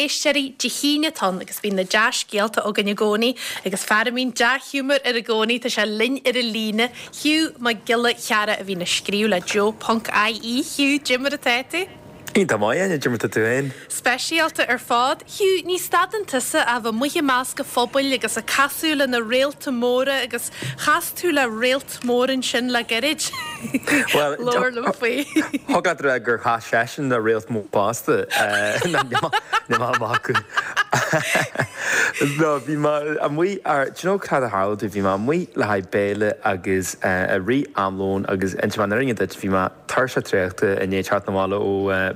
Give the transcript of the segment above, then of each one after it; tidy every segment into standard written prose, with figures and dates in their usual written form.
éisteoirí, Dé hAoine atá ann agus bíonn na dea-scéalta againn i gcónaí agus fear a mbíonn dea-ghiúmar air i gcónaí, tá sé linn ar an líne, Hugh Mac Giolla Chearra a bhíonn ag scríobh le Joe Ponc IE. Hugh, cad é mar atá tú? Iontach maith, Áine, cad é mar atá tú féin? Speisialta ar fad. Hugh, ní stadann tusa ach a bheith amuigh i measc an phobail agus ag casadh le na réalta móra agus chas tú le réalt mór ansin le gairid. Bhuel, Labhair liom faoi. thig leat a rá gur chas seisean le réalt mór fosta. Níl mé ag magadh. No, bhí mé amuigh ar, do you know cad a tharla domh? Bhí mé amuigh le haghaidh béile agus i rith am lóin agus inseoidh mé an fhírinne duit, bhí mé, tuirseach traochta i ndiaidh teacht 'na bhaile ó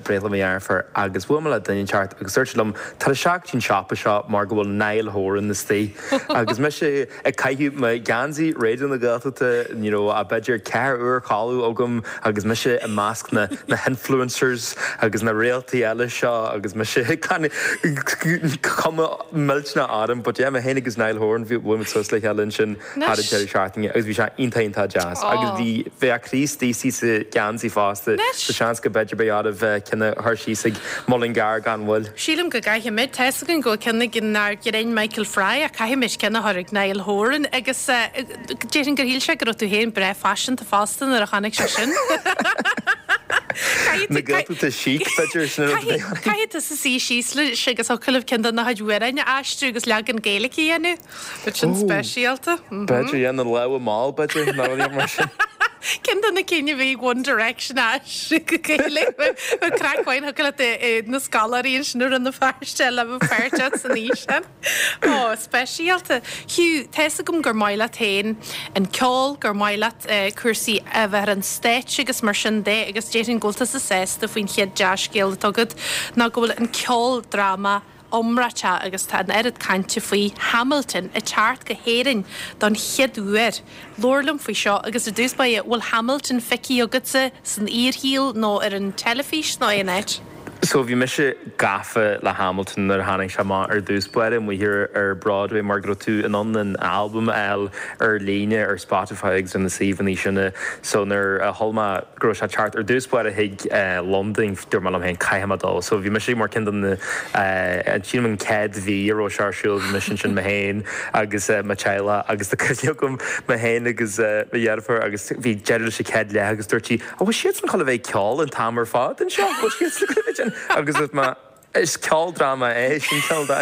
bhreithlá mo dheirfiúr agus bhuail mé le duine inteacht agus dúirt sé liom tar isteach go dtí an siopa seo mar go bhfuil Niall Horan istigh agus mise ag caitheamh mo gheansaí Raidió na Gaeltachta you know b'fhéidir 4 uair codladh agam agus mise i measc na na hinfluencers agus na réaltaí eile seo agus mise cuma millteanach orm but yeah mé féin agus Niall Horan bhí bhuail muid suas le chéile ansin thar an deireadh seachtaine agus bhí sé iontach iontach deas agus bhí bheadh Críostaí sa gheansaí fosta so seans go b'fhéidir beidh oraibh ceann a chur síos ag Mullingar gan mhoill. Sílim go gcaithfimid. Tá fhios againn go bhfuil ceann ag ár gcinn Michael Fry ach caithfimid ceann a chur ag Niall Horan agus déarfainn gur shíl sé go raibh tú féin breá faiseanta fosta nuair a chonaic sé sin. Na Gaeltachta chic b'fhéidir sin an rud a bheidh orainn. Caithfidh tusa suí síos leis agus thiocfadh libh ceann de na chuid amhráin a aistriú agus leagan Gaeilge a dhéanamh. Bheadh sin speisialta. B'fhéidir, yeah, na lámha mall, b'fhéidir, nó rudaí mar sin. Ceann de na cinn a bhí ag One Direction a aistriú go Gaeilge. Bheadh craic mhaith thiocfadh leat na scoláirí ansin i Rann na Feirste le bheith páirteach san fhíseán. Ó, speisialta. Hugh, tá fhios agam gur maith leat féin an ceol, gur maith leat cúrsaí a bheith ar an stáitse agus mar sin de agus déarfainn go bhfuil tusa sásta faoin chéad dea-scéal atá agat ná go bhfuil an ceoldráma iomráiteach agus tá an oiread cainte faoi Hamilton ag teacht go hÉirinn don chéad uair. Labhair liom faoi seo agus ar dtús báire, bhfuil Hamilton feicthe agatsa san fhíorshaol nó ar an teilifís nó aon áit? So bhí mise gafa le Hamilton nuair a tháinig sé amach ar dtús báire amuigh ar ar Broadway mar go raibh tú in ann an albam a fháil ar líne ar Spotify agus ar na suíomhanna sin so nuair a chuala mé go raibh sé ag teacht ar dtús báire chuig Londain, dúirt mé liom féin, caithfidh mé dul. So bhí mise mar ceann de na, sílim an chéad mhí a raibh sé ar siúl, bhí mise ansin mé féin agus mo theaghlach agus tá cuimhne agam mé féin agus mo dheirfiúr agus bhí deireadh leis an chéad leath agus dúirt sí, an bhfuil siadsan chun a bheith ag ceol an t-am ar fad anseo? An bhfuil siadsan chun a bheith ag agus dúirt mé, Is ceoldráma é, sin cineál de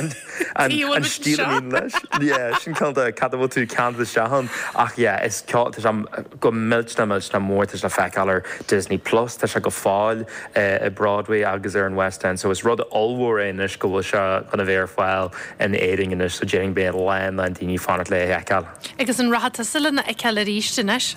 an stíl a mbíonn leis. Yeah, sin cineál de cad a bhfuil tú ceanntach isteach ann. Ach yeah, is ceol, tá sé go millteanach millteanach mór, tá sé le feiceáil ar Disney Plus, tá sé go fóill i Broadway agus ar an West End. So is rud ollmhór é anois go bhfuil sé chun a bheith ar fáil in Éirinn anois, so déarfainn beidh a lán lán daoine ag fanacht le é a fheiceáil. Agus an rachaidh tusa lena fheiceáil arís anois?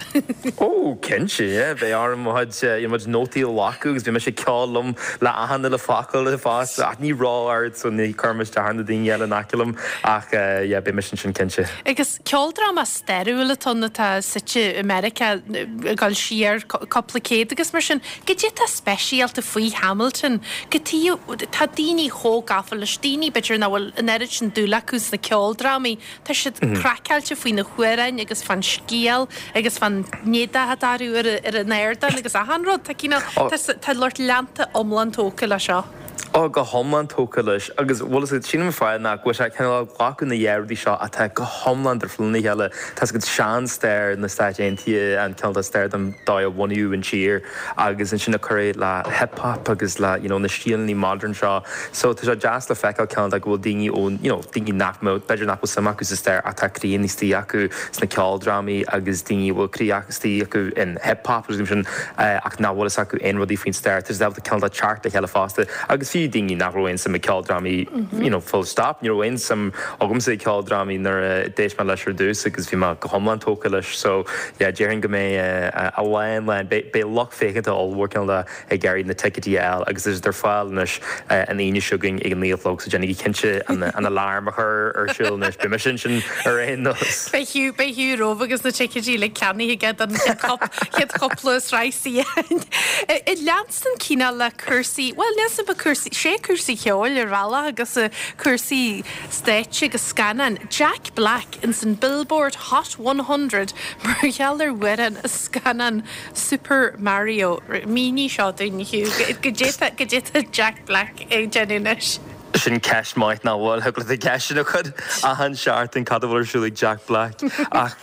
Ó, cinnte, yeah. Beidh orm mo chuid, you know, mo chuid nótaí a ghlacadh agus beidh mise ag ceol liom le achan uile focal fosta. Ach ní ró-ard so ní chuirfidh mé isteach ar na daoine eile in aice liom ach yeah, beidh mise ansin cinnte. Agus ceoldráma stairiúil atá ann atá suite i Meiriceá ag dul siar cúpla céad agus mar sin. Cad é atá speisialta faoi Hamilton? Cad chuige atá daoine chomh gafa leis, daoine b'fhéidir nach bhfuil an oiread sin dúil acu sna ceoldrámaí, Tá siad craiceáilte faoi na hamhráin agus fán scéal agus fán éadach atá orthu ar an ardán agus achan rud. Tá cineál, tá lucht leanta iomlán tógtha leis seo. Ó, go hiomlán tógtha leis. Agus bhfuil fhios agat, sílim an fáth ná go bhfuil sé cineál ag glacadh na dhá rudaí seo atá go hiomlán difriúil óna chéile. Tá fhios agat sean-stair na Stáit Aontaithe, an cineál de stair den dóigh a bunaíodh an tír agus ansin ag cur é le hip hop agus le you know na stíleanna modern seo. So tá sé deas le feiceáil cineál de go bhfuil daoine ó you know daoine nach mbeadh, b'fhéidir nach bhfuil suim acu sa stair ach tá croí istigh acu sna ceoldrámaí agus daoine a bhfuil croí istigh acu in hip hop agus sin ach nach bhfuil fhios acu aon rudaí faoin stair. Tá siad ábalta cineál de teacht le chéile fosta agus fiú daoine nach raibh aon suim i ceoldrámaí you know full stop, ní raibh aon suim agamsa i ceoldrámaí nuair a d'éist mé leis ar dtús agus bhí mé go hiomlán tógtha leis so yeah déarfainn go mbeidh a lán lán, beidh lucht féachanta ollmhór cineál de ag iarraidh na ticéidí a fháil agus tá siad ar fáil anois an Aoine seo chugainn ag a 9 a chlog so déanaigí cinnte an alarm a chur ar siúl anois. Beidh mise ansin ar aon nós. Beidh Hugh, beidh Hugh romhaibh agus na ticéidí uilig ceannaithe aige don chéad chúpla sraith suíocháin. Ag leanstan cineál le cúrsaí, bhuel níl 's agam cúrsaí, sé cúrsaí ceoil ar bhealach agus cúrsaí stáitse agus scannáin. Jack Black ins an Billboard Hot 100 mar gheall ar amhrán as scannán Super Mario. Mínigh seo dúinn, Hugh. Goidé tá Jack Black ag déanamh anois? Sin ceist maith nach bhfuil? Thig leat an ceist sin a chur achan seachtain cad a bhfuil ar siúl ag Jack Black ach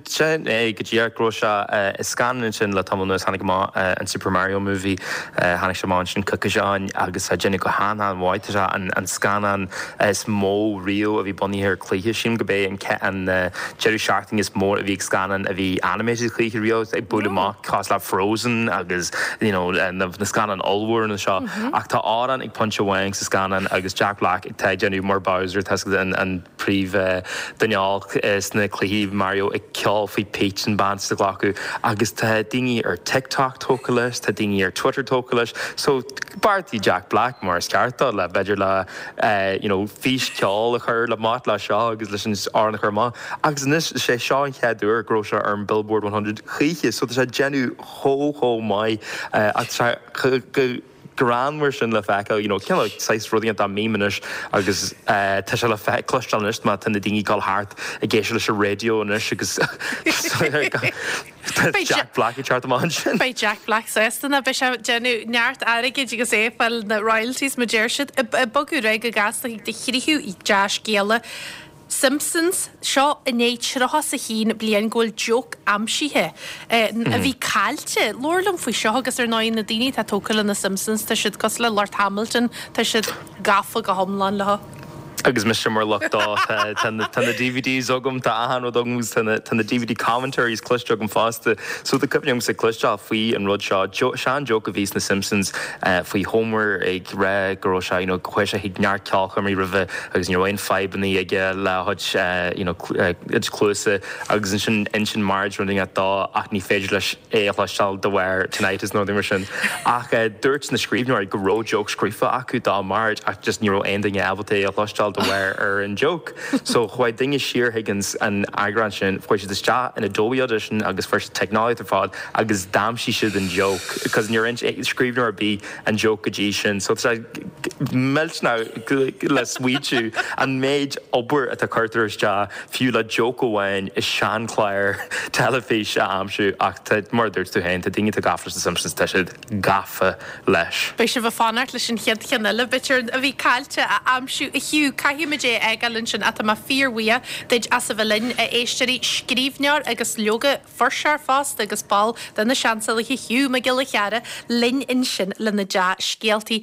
sin é go díreach go raibh sé i scannán ansin le tamall anuas tháinig amach an Super Mario Movie tháinig sé amach ansin coicís ó shin agus tá déanamh go han-an-mhaith tá sé an scannán is mó riamh a bhí bunaithe ar cluiche sílim go b'é an deireadh seachtaine is mó a bhí ag scannán a bhí animated choíche riamh ag bualadh amach cosúil le Frozen agus you know na scannáin ollmhóra seo ach tá amhrán ag pointe amháin sa scannán agus Jack Black atá ag déanamh mar Bowser tá an an príomh duine olc sna cluichí Mario ag ceol faoi Peach an bean sa ghlacadh agus tá daoine ar TikTok tógtha leis tá daoine ar Twitter tógtha leis so beartaigh Jack Black mar is ceart dó le b'fhéidir le you know fís ceoil a chur le mat le seo agus leis an amhrán a chur amach agus anois is é seo an chéad uair go raibh sé ar an Billboard 100 choíche so tá sé ag déanamh chomh chomh maith ach tá sé go greannmhar sin le feiceáil you know cineál saghas rudaí atá meme anois agus tá sé le cloisteáil anois má tá na daoine ag dul thart ag éisteacht leis an raidió anois agus tá Jack Black ag teacht amach ansin. Beidh Jack Black sásta ná beidh sé ag déanamh neart airgid agus é ag fáil na royalties mar deir siad. Ag bogadh ar aghaidh go gasta chuig do thríú dea-scéala. Simpsons, seo i ndiaidh 31 bliain go bhfuil joke aimsithe a bhí caillte. Labhair liom faoi seo agus ar ndóigh na daoine atá tógtha le na Simpsons tá siad cosúil le lucht Hamilton, tá siad gafa go hiomlán leo. Agus mise mar lucht dó, tá na DVDs agam, tá achan rud agam agus tá na DVD commentaries cloiste agam fosta. So tá cuimhne agamsa cloisteáil faoi an rud seo, sean joke a bhí sna Simpsons faoi Homer ag rá go raibh sé, you know, chuaigh sé chuig neart ceolchoirmí roimhe agus ní raibh aon fadhbanna aige le a chuid you know cuid cluasa agus ansin insíonn Marge rud éigin dó ach ní féidir leis é a chloisteáil de bharr tinnitus nó rud mar sin. Ach dúirt na scríbhneoirí go raibh joke scríofa acu do Marge ach just ní raibh aon duine ábalta é a chloisteáil de bharr ar an joke. So chuaigh duine siar chuig an eagrán sin, chuaigh siad isteach in Adobe Audition agus fuair siad teicneolaíocht ar fad agus d'aimsigh siad an joke because níor inis scríbhneoir ar bith an joke go dtí sin. So tá sé millteanach le smaointiú an méid obair atá curtar isteach fiú le joke amháin i seanchlár teilifís a aimsiú ach tá, mar a dúirt tú féin, tá daoine atá gafa leis na Simpsons, tá siad gafa leis. Beidh sibh ag fanacht leis an chéad cheann eile, b'fhéidir, a bhí caillte a aimsiú. A Hugh, caithfimid é a fhágáil ansin ach tá mé fíorbhuíoch duit as a bheith linn, a éisteoirí, scríbhneoir agus leoga, fuirseoir fosta agus ball de na Seansálaithe Hugh Mac Giolla Chearra linn ansin le na dea-scéaltaí.